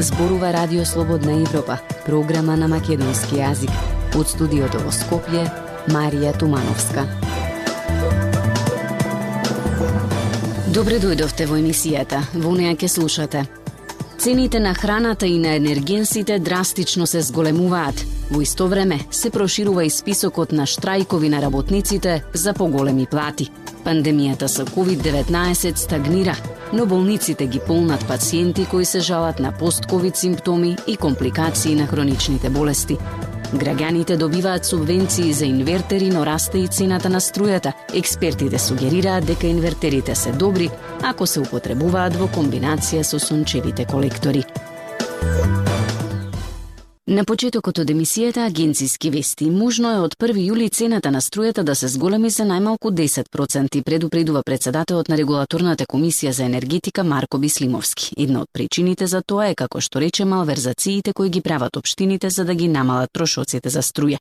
Зборува Радио Слободна Европа, програма на македонски јазик. Од студиото во Скопје, Марија Тумановска. Добре дојдовте во емисијата. Во неја ќе слушате: цените на храната и на енергенсите драстично се зголемуваат. Во исто време се проширува и списокот на штрајкови на работниците за поголеми плати. Пандемијата со COVID-19 стагнира, но болниците ги полнат пациенти кои се жалат на пост-ковид симптоми и компликации на хроничните болести. Граѓаните добиваат субвенции за инвертери, но расте и цената на струјата. Експертите сугерираат дека инвертерите се добри ако се употребуваат во комбинација со сончевите колектори. На почетокот од емисијата Агенциски вести, можно е од 1 јули цената на струјата да се зголеми за најмалку 10%, предупредува председателот на Регулаторната комисија за енергетика Марко Бислимовски. Една од причините за тоа е, како што рече, малверзациите кои ги прават општините за да ги намалат трошоците за струја.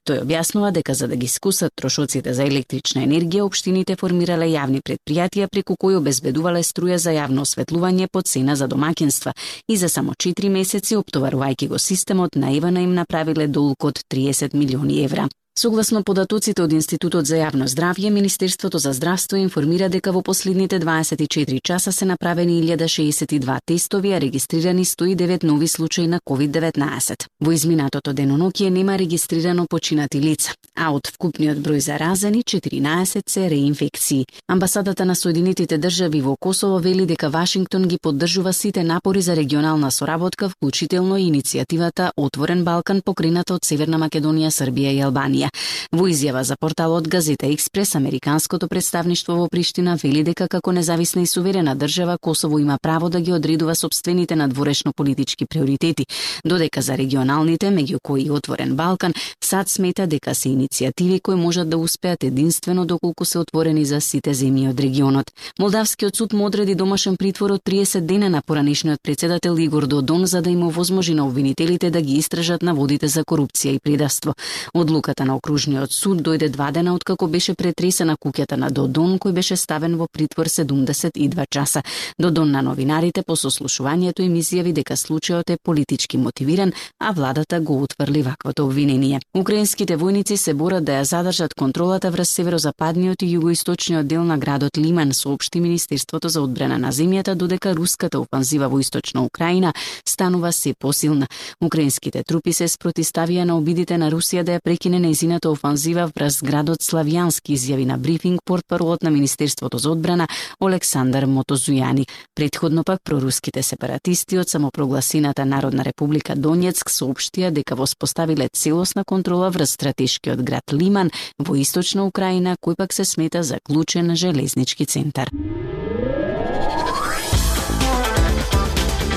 Тој објаснува дека за да ги скусат трошоците за електрична енергија, општините формирале јавни претпријатија преку кои обезбедувале струја за јавно осветлување по цена за домаќинства и за само 4 месеци, оптоварувајќи го системот, наивано им направиле долг од 30 милиони евра. Согласно податоците од Институтот за јавно здравје, Министерството за здравство информира дека во последните 24 часа се направени 1062 тестови, а регистрирани 109 нови случаи на COVID-19. Во изминатото деноноќие нема регистрирано починати лица, а од вкупниот број заразени 14 се реинфекции. Амбасадата на Соединетите држави во Косово вели дека Вашингтон ги поддржува сите напори за регионална соработка, вклучително и иницијативата Отворен Балкан, покрената од Северна Македонија, Србија и Албанија. Во изјава за порталот Газета Експрес, американското представништво во Приштина вели дека како независна и суверена држава Косово има право да ги одредува сопствените надворешно политички приоритети, додека за регионалните, меѓу кои и Отворен Балкан, САД смета дека се иницијативи кои можат да успеат единствено доколку се отворени за сите земји од регионот. Молдавскиот суд му одреди домашен притвор од 30 дена на поранешниот председател Игор Додон за да им овозможи на обвинителите да ги истражат наводите за корупција и предавство. Одлуката на Окружниот суд дојде 2 дена откако беше претресена куќата на Додон, кој беше ставен во притвор 72 часа. Додон на новинарите по сослушувањето им изјави дека случајот е политички мотивиран, а владата го утврли ваквото обвинение. Украинските војници се борат да ја задржат контролата врз северозападниот и југоисточниот дел на градот Лиман, соопшти Министерството за одбрана на земјата, додека руската офанзива во источна Украина станува се посилна. Украинските трупи се спротиставија на обидите на Русија да ја прекине нејзината офанзива врз градот Славјански, изјави на брифинг портпаролот на Министерството за одбрана Олександар Мотозујани. Претходно пак проруските сепаратисти од самопрогласената Народна република Донецк соопштија дека воспоставиле целосна контрола врз стратешкиот град Лиман во источна Украина, кој пак се смета за клучен железнички центар.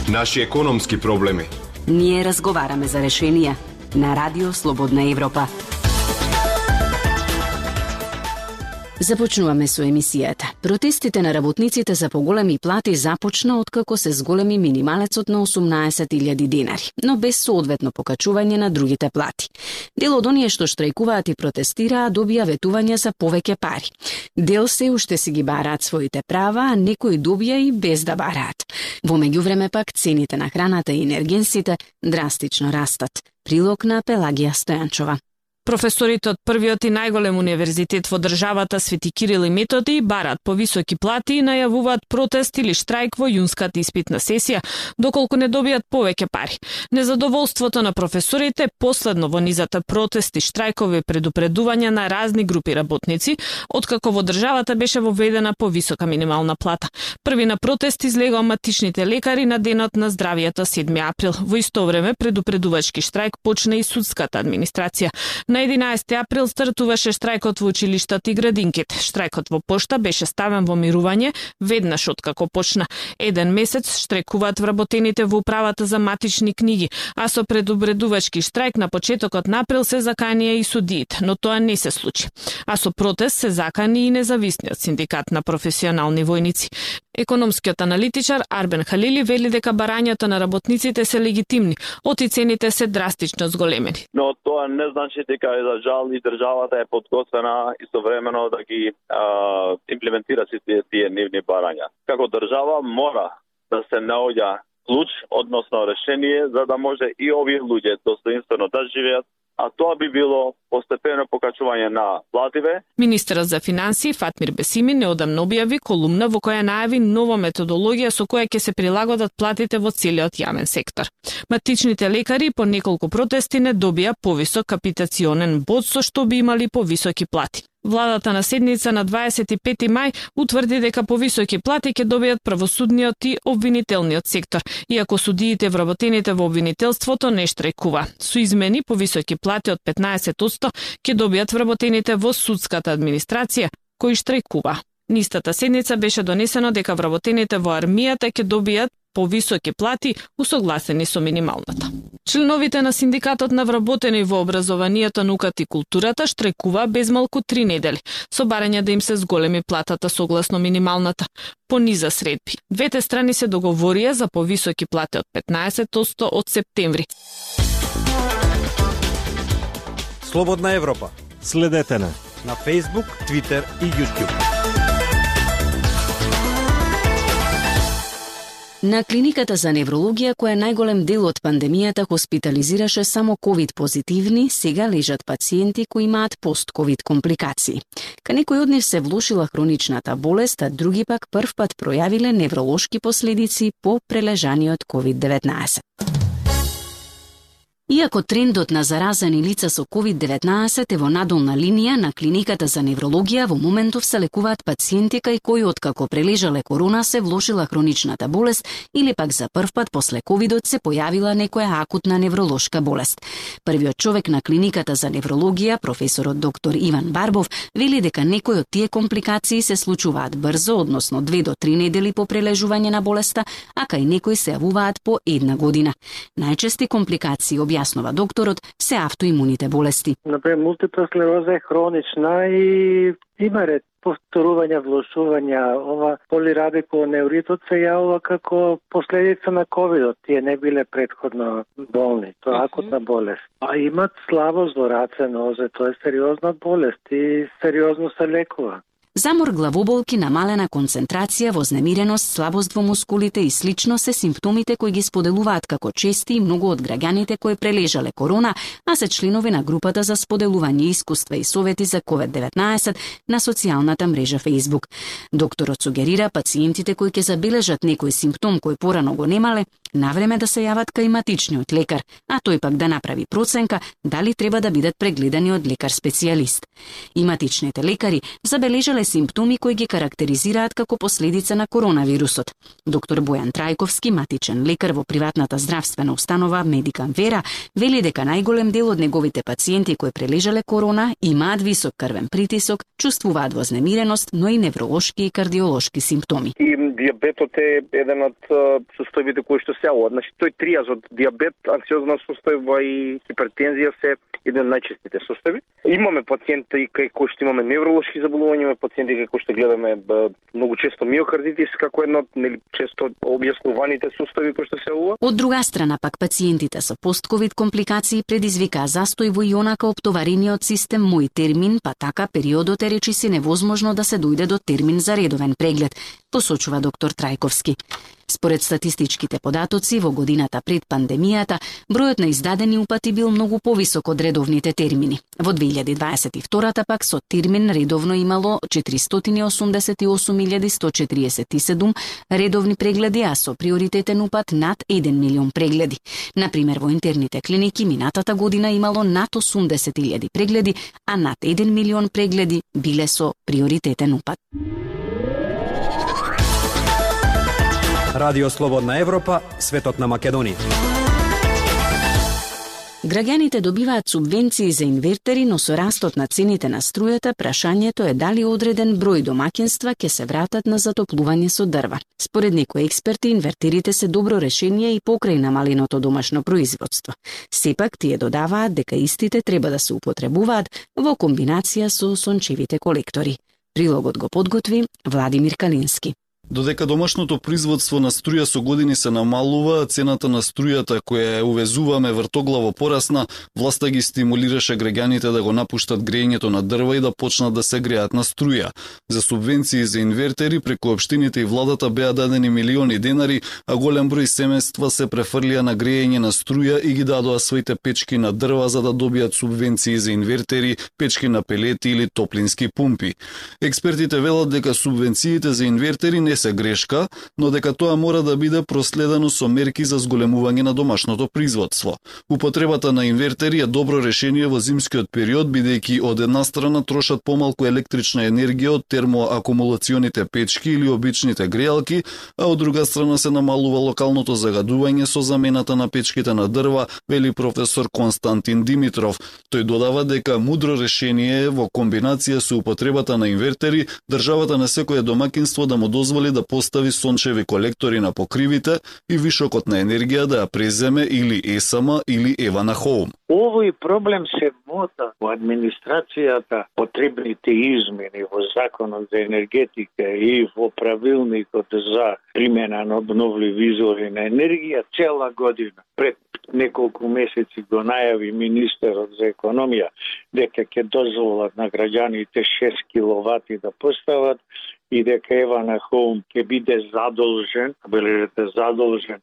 Наши економски проблеми. Ние разговараме за решенија на Радио Слободна Европа. Започнуваме со емисијата. Протестите на работниците за поголеми плати започна откако се зголеми минималецот на 18.000 денари, но без соодветно покачување на другите плати. Дел од оние што штрајкуваат и протестираа добија ветување за повеќе пари. Дел се уште си ги бараат своите права, а некои добија и без да бараат. Во меѓувреме пак цените на храната и енергенсите драстично растат. Прилог на Пелагија Стојанчова. Професорите од првиот и најголем универзитет во државата Свети Кирил и Методи бараат повисоки плати и најавуваат протест или штрајк во јунската испитна сесија, доколку не добијат повеќе пари. Незадоволството на професорите последно во низата протести, штрајкови и предупредувања на разни групи работници, откако во државата беше воведена повисока минимална плата. Први на протест излегоа матичните лекари на денот на здравието 7 април. Во исто време предупредувачки штрајк почна и судската администрација. На 11 април стартуваше штрајкот во училиштата и градинките. Штрајкот во пошта беше ставен во мирување веднаш откако почна. 1 месец штрајкуваат вработените во управата за матични книги, а со предупредувачки штрајк на почетокот на април се заканија и судиите, но тоа не се случи. А со протест се закани и независниот синдикат на професионални војници. Економскиот аналитичар Арбен Халили вели дека барањата на работниците се легитимни, оти цените се драстично зголемени. Но тоа не значи дека за жал и државата е подготвена истовремено да ги имплементира сите тие нивни барања. Како држава мора да се наоѓа клуч, односно решение, за да може и овие луѓе достоинствено да живеат, а тоа би било постепено покачување на плативе. Министерот за финансии Фатмир Бесими неодамно објави колумна во која најави нова методологија со која ќе се прилагодат платите во целиот јавен сектор. Матичните лекари по неколку протести не добија повисок капитационен бод со што би имали повисоки плати. Владата на седница на 25 мај утврди дека повисоки плати ќе добијат правосудниот и обвинителниот сектор, иако судиите вработените во обвинителството не штрajкува. Со измени повисоки плати од 15% ќе добијат вработените во судската администрација, кои штрajкува. Нистата седница беше донесено дека вработените во армијата ќе добијат повисоки плати усогласени со минималната. Членовите на синдикатот на вработени во образованието, науката и културата штрajкува без малку 3 недели, со барање да им се зголеми платата согласно минималната, по низа средби. Двете страни се договорија за повисоки плати од 15% од септември. Слободна Европа. Следете на Facebook, Twitter и YouTube. На клиниката за неврологија, која најголем дел од пандемијата хоспитализираше само ковид позитивни, сега лежат пациенти кои имаат пост-ковид компликации. Ка некои од нив се влошила хроничната болест, а други пак прв пат пројавиле невролошки последици по прележаниот COVID-19. Иако трендот на заразени лица со COVID-19 е во надолна линија, на клиниката за неврологија во моментов се лекуваат пациенти кај кои откако прележале корона се влошила хроничната болест или пак за прв пат после ковидот се појавила некоја акутна невролошка болест. Првиот човек на клиниката за неврологија, професорот доктор Иван Барбов, вели дека некои од тие компликации се случуваат брзо, односно 2 до 3 недели по прележување на болеста, а кај некои се јавуваат по 1 година. Најчести компликации, објаснува докторот, се автоимуните болести. Например, мултипла склероза е хронична и има ред повторувања, влошувања. Ова полирабиконевритот се јавува како последица на ковидот. Тие не биле претходно болни. Тоа е акутна болест. А имат слабост во раце, нозе. Тоа е сериозна болест и сериозно се лекува. Замор, главоболки, намалена концентрација, вознемиреност, слабост во мускулите и слично се симптомите кои ги споделуваат како чести и многу од граѓаните кои прележале корона, а се членови на групата за споделување искуства и совети за COVID-19 на социјалната мрежа Facebook. Докторот сугерира пациентите кои ќе забележат некој симптом кој порано го немале, навреме да се јават кај матичниот лекар, а тој пак да направи проценка дали треба да бидат прегледани од лекар-специјалист. И матичните лекари забележале симптоми кои ги карактеризираат како последица на коронавирусот. Доктор Бојан Трајковски, матичен лекар во приватната здравствена установа Медикам Вера, вели дека најголем дел од неговите пациенти кои прележале корона имаат висок крвен притисок, чувствуваат вознемиреност, но и невролошки и кардиолошки симптоми. И диабетот е еден од состојбите кои што се јавуваат. Значи тој триаз од диабет, анксиозна состојба и хипертензија се еден од најчестите состојби. Имаме пациенти кај кои што имаме невролошки заболувања, имаме пациенти кај кои што гледаме многу често миокардитис како едно од често објаснуваните состојби кои што се јавува. Од друга страна пак пациентите со постковид компликации предизвикаа застој во ионака оптоварениот систем мој термин, па така периодот е речиси невозможно да се дојде до термин за редовен преглед, посочува доктор Трајковски. Според статистичките податоци, во годината пред пандемијата, бројот на издадени упати бил многу повисок од редовните термини. Во 2022 пак со термин редовно имало 488.147 редовни прегледи, а со приоритетен упат над 1 милион прегледи. Например, во интерните клиники минатата година имало над 80.000 прегледи, а над 1 милион прегледи биле со приоритетен упат. Радио Слободна Европа, светот на Македонија. Граѓаните добиваат субвенции за инвертери, но со растот на цените на струјата, прашањето е дали одреден број домаќинства ќе се вратат на затоплување со дрва. Според некои експерти, инвертерите се добро решение и покрај намаленото домашно производство. Сепак, тие додаваат дека истите треба да се употребуваат во комбинација со сончевите колектори. Прилогот го подготви Владимир Калински. Додека домашното производство на струја со години се намалува, цената на струјата која ја увезуваме вртоглаво порасна, власта ги стимулираше граѓаните да го напуштат грејењето на дрва и да почнат да се греат на струја. За субвенции за инвертери преку општините и владата беа дадени милиони денари, а голем број семејства се префрлија на грејење на струја и ги дадоа своите печки на дрва за да добијат субвенции за инвертери, печки на пелети или топлински пумпи. Експертите велат дека субвенциите за инвертери не се грешка, но дека тоа мора да биде проследено со мерки за зголемување на домашното производство. Употребата на инвертери е добро решение во зимскиот период, бидејќи од една страна трошат помалку електрична енергија од термоакумулационите печки или обичните грејалки, а од друга страна се намалува локалното загадување со замената на печките на дрва, вели професор Константин Димитров. Тој додава дека мудро решение е во комбинација со употребата на инвертери, државата на секое домакинство да му дозволи да постави сончеви колектори на покривите и вишокот на енергија да ја преземе или ЕСАМ или Ева на Хоум. Овој проблем се мота во администрацијата, потребните измени во Законот за енергетика и во правилникот за примена на обновливи извори на енергија цела година. Пред неколку месеци го најави министерот за економија дека ќе дозволат на граѓаните 6 киловати да постават и дека Ева на Хоум ќе биде задолжен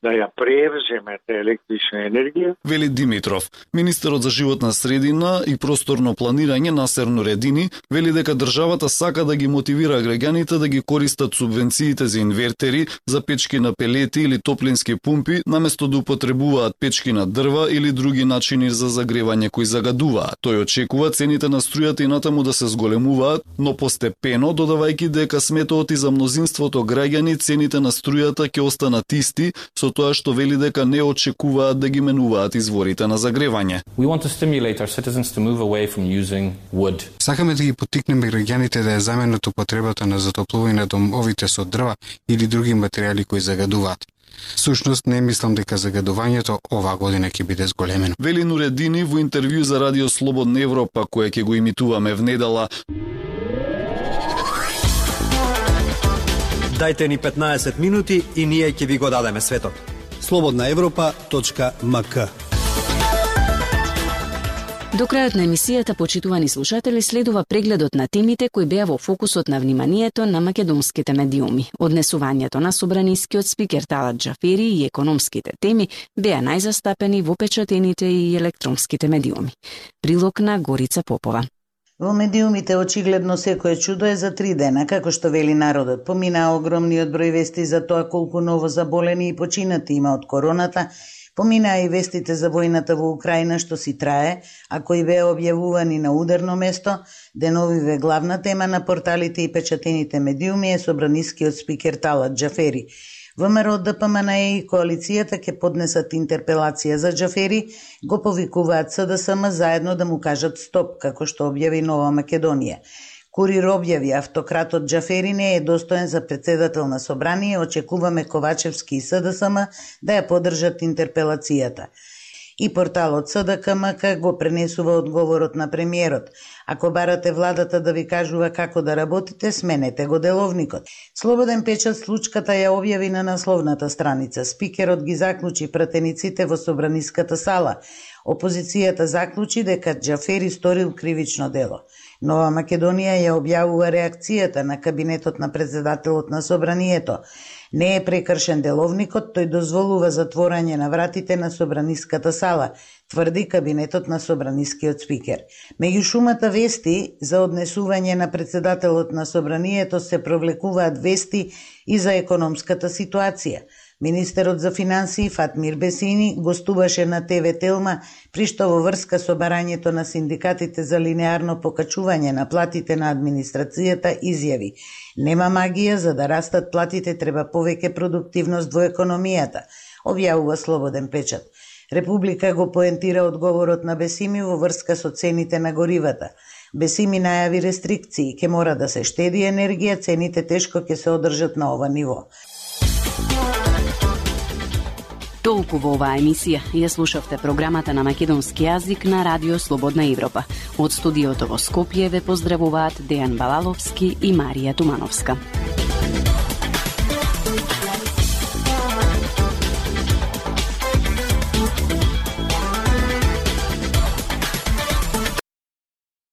да ја превземе електрична енергија. Вели Димитров. Министерот за животна средина и просторно планирање Насер Нуредини вели дека државата сака да ги мотивира граѓаните да ги користат субвенциите за инвертери, за печки на пелети или топлински пумпи, наместо да употребуваат печки на дрва или други начини за загревање кои загадуваат. Тој очекува цените на струјата и натаму да се зголемуваат, но постепено додавајќи дека сметот и за мнозинството граѓани цените на струјата ќе останат исти, со тоа што вели дека не очекуваат да ги менуваат изворите на загревање. Сакаме да ги поттикнеме граѓаните да ја заменат употребата на затоплување на домовите со дрва или други материјали кои загадуваат. Сушност не мислам дека загадувањето оваа година ќе биде зголемено. Вели Нуредини во интервју за Радио Слободна Европа, кое ќе го имитуваме внедела. Дајте ни 15 минути и ние ќе ви го дадеме светот. slobodnaevropa.mk. До крајот на емисијата, почитувани слушатели, следува прегледот на темите кои беа во фокусот на вниманието на македонските медиуми. Однесувањето на собранискиот спикер Талат Џафери и економските теми беа најзастапени во печатените и електронските медиуми. Прилог на Горица Попова. Во медиумите очигледно секое чудо е за 3 дена, како што вели народот. Поминаа огромниот број вести за тоа колку ново заболени и починати има од короната, поминаа и вестите за војната во Украина што си трае, а кои беа објавувани на ударно место. Деновиве главна тема на порталите и печатените медиуми е собранискиот спикер Талат Џафери. ВМРО, ДПМНЕ и коалицијата ќе поднесат интерпелација за Џафери, го повикуваат СДСМ заедно да му кажат стоп, како што објави Нова Македонија. Курир објави автократот Џафери не е достоен за председател на собрание, очекуваме Ковачевски и СДСМ да ја поддржат интерпелацијата. И порталот СДКМК го пренесува одговорот на премиерот. Ако барате владата да ви кажува како да работите, сменете го деловникот. Слободен печат случката ја објави на насловната страница. Спикерот ги заклучи пратениците во собраниската сала. Опозицијата заклучи дека Џафери сторил кривично дело. Нова Македонија ја објавува реакцијата на кабинетот на председателот на собранието. Не е прекршен деловникот, тој дозволува затворање на вратите на собраниската сала, тврди кабинетот на собранискиот спикер. Меѓу шумата вести за однесување на председателот на собранието се провлекуваат вести и за економската ситуација. Министерот за финансии Фатмир Бесини гостуваше на ТВ Телма, при што во врска со барањето на синдикатите за линеарно покачување на платите на администрацијата изјави: нема магија, за да растат платите треба повеќе продуктивност во економијата, објавува Слободен печат. Република го поентира одговорот на Бесими во врска со цените на горивата. Бесими најави рестрикции, ќе мора да се штеди енергија, цените тешко ќе се одржат на ова ниво. Толку во оваа емисија. Ја слушавте програмата на македонски јазик на Радио Слободна Европа. Од студиото во Скопје ве поздравуваат Дејан Балаловски и Марија Тумановска.